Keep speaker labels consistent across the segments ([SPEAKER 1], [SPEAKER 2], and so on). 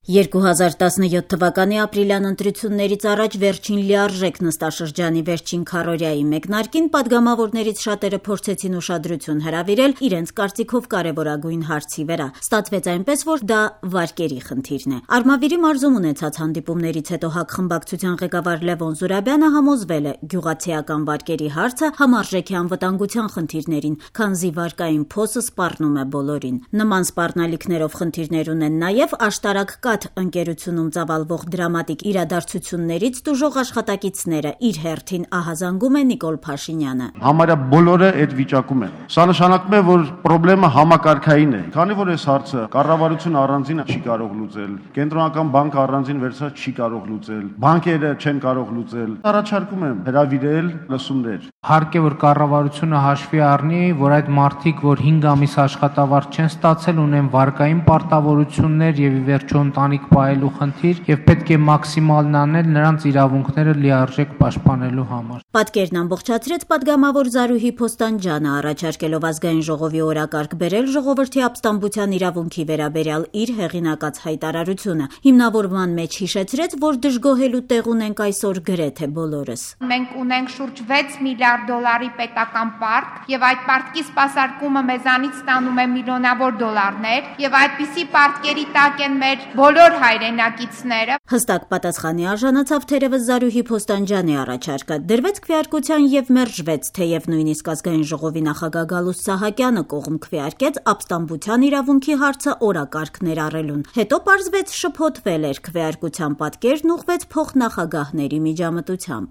[SPEAKER 1] 2017 թվականի ապրիլյան ընտրություններից առաջ վերջին լիարժեք նստաշրջանի վերջին քառօրյայի մեկնարկին պատգամավորներից շատերը փորձեցին ուշադրություն հրավիրել իրենց կարծիքով կարևորագույն հարցի վրա։ Ստացվեց այնպես, որ դա վարկերի խնդիրն է։ Արմավիրի մարզում ունեցած հանդիպումներից հետո ՀԱԿ խմբակցության ղեկավար Լևոն Զուրաբյանը համոզվել է՝ գյուղացիական վարկերի հարցը համարժեք է անվտանգության խնդիրներին, քանզի վարկային փոսը սպառնում է բոլորին։ Նման սպառնալիքներով խնդիրներ ունեն նաև աշտարակ ընկերությունում ծավալվող դրամատիկ իրադարձություններից տուժող աշխատակիցները, իր հերթին ահազանգում է Նիկոլ Փաշինյանը։
[SPEAKER 2] Համարյա բոլորը այդ վիճակում են։ Սա նշանակում է, որ խնդրեմը համակարգային է։ Քանի որ այս հարցը կառավարությունը առանձին չի կարող լուծել, կենտրոնական բանկը առանձին վերցած չի կարող լուծել, բանկերը չեն կարող լուծել, առաջարկում եմ հրավիրել լսումներ։
[SPEAKER 3] Հարկ է, որ կառավարությունը հաշվի առնի, որ այդ մարդիկ, որ 5 ամիս աշխատավարձ չեն ստացել, ունեն վարկային պարտավորություններ եւ ի վերջո ընտանիք պահելու խնդիր եւ պետք է մաքսիմալն անել նրանց իրավունքները լիարժեք պաշտպանելու համար։
[SPEAKER 1] Պատկերն ամբողջացրեց պատգամավոր Զարուհի Փոստանջյանը, առաջարկելով ազգային ժողովի օրակարգ բերել ժողովրդի ապստամբության իրավունքի վերաբերյալ իր հեղինակած հայտարարությունը։ Հիմնավորման մեջ հիշեցրեց, որ դժգոհելու տեղ ունենք այսօր գրեթե բոլորս։
[SPEAKER 4] Մենք ունենք շուրջ 6 միլիարդ դոլարի պետական պարտք եւ այդ պարտքի սպասարկումը մեզանից ստանում է միլիոնավոր դոլարներ եւ այդպիսի պարտքերի տակ են մեր բոլոր հայրենակիցները։
[SPEAKER 1] Հստակ պատասխանի արժանացավ թերևս Զարուհի Փոստանջյանի առաջարկը։ Դրվեց քվեարկության եւ մերժվեց, թեև նույնիսկ ազգային ժողովի նախագահ Գալուստ Սահակյանը կողմ քվեարկեց ապստամբության իրավունքի հարցը օրակարգ ներառելուն։ Հետո պարզվեց շփոթվել էր, քվեարկության պատկերն ուղղվեց փոխնախագահների միջամտությամբ։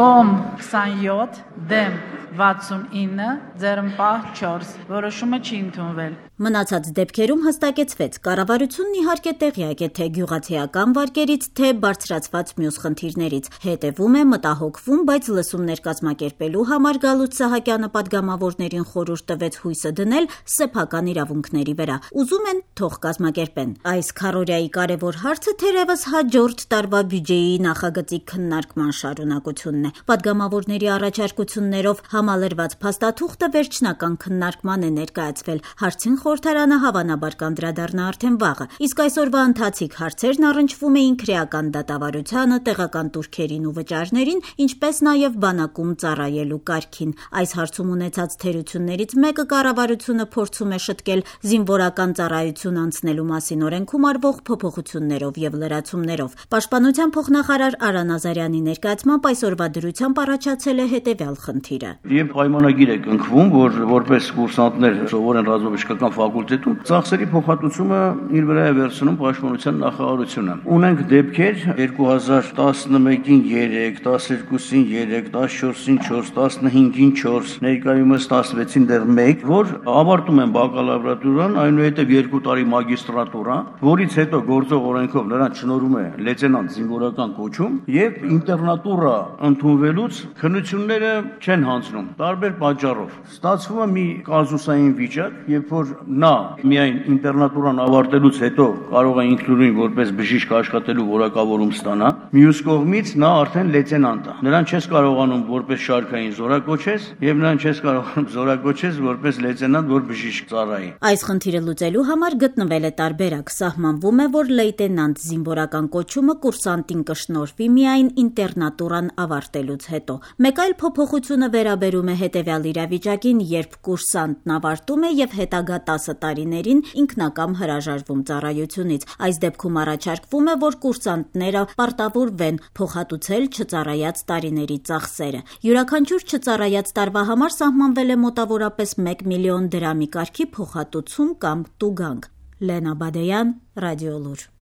[SPEAKER 5] Կողմ 27, դեմ 69, ձեռնպահ 4, որոշումը չի ընդունվել։
[SPEAKER 1] Մնացած դեպքերում հստակեցվեց, կառավարությունն իհարկե տեղյակ է թե գյուղացիական վարկերից, թե բարձրացված մյուս խնդիրներից, հետևում է, մտահոգվում, բայց լսումներ կազմակերպելու համար Գալուստ Սահակյանը պատգամավորներին խորհուրդ տվեց հույսը դնել սեփական իրավունքների վրա։ Ուզում են, թող կազմակերպեն։ Այս քառօրյայի կարևոր հարցը թերևս հաջորդ տարվա բյուջեի նախագծի քննարկման շարունակությունն է։ Պատգամավորների առաջարկություններով համալրված փաստաթուղթը վերջնական քննարկման է ներկայացվել։ Հարցին խորհրդարանը հավանաբար կանդրադառնա արդեն վաղը, իսկ այսօրվա ընթացիկ հարցերն առնչվում էին քրեական դատավարությանը, տեղական տուրքերին ու վճարներին, ինչպես նաև բանակում ծառայելու կարգին։ Այս հարցում ունեցած թերություններից մեկը կառավարությունը փորձում է շտկել զինվորական ծառայություն անցնելու մասին օրենքում արվող փոփոխություններով եւ լրացումներով։ Պաշտպանության փոխնախարար Արա Նազարյանի ներկայացմամբ այսօրվա դրությամբ առաջացել է հետեւյալ խնդիրը։
[SPEAKER 6] Երբ պայմանագիր է կնքվում, որ որպես կուրսանտներ սովորեն ռազմավարական ֆակուլտետում, ծախսերի փոխհատուցումը իր վրա է վերցնում պաշտպանության նախարարությունը։ Ունենք դեպքեր 2011-ին 3, 12-ին 3, 14-ին 4, 15-ին 4, ներկայումս 16-ին դեռ 1, որ ավարտում են բակալավրատուրան, այնուհետև 2 տարի մագիստրատուրա, որից հետո գործող օրենքով նրանց շնորհում է լեյտենանտ զինվորական կոչում եւ ինտերնատուրա ընդունվելուց քննությունները չեն հանձնում տարբեր պատճառով։ Ստացվում է մի կազուսային վիճակ, երբ որ նա միայն ինտերնատուրան ավարտելուց հետո կարող է ինքնուրույն որպես բժիշկ աշխատելու որակավորում ստանա, մյուս կողմից նա արդեն լեյտենանտ է։ Նրան չես կարողանում որպես շարքային զորակոչես եւ նրան չես կարողանում զորակոչես որպես լեյտենանտ, որ բժիշկ ծառայի։
[SPEAKER 1] Այս խնդիրը լուծելու համար գտնվել է տարբերակ։ Սահմանվում է, որ լեյտենանտ զինվորական կոչումը կուրսանտին կշնորհվի միայն ինտերնատուրան ավարտելուց հետո։ Մեկ այլ փոփոխությունը վերաբերում է հետեւյալ իրավիճակին, երբ կուրսանտն ավարտում է եւ հետագա 10 տարիներին ինքնակամ հրաժարվում ծառայությունից։ Այս դեպքում առաջարկվում է, որ կուրսանտները պարտավորվեն փոխհատուցել չծառայած տարիների ծախսերը։ Յուրաքանչյուր չծառայած տարվա համար սահմանվել է մոտավորապես 1 միլիոն դրամի կարգի փոխհատուցում կամ տուգանք։ Լենա Բադեյան, Ռադիոլուր։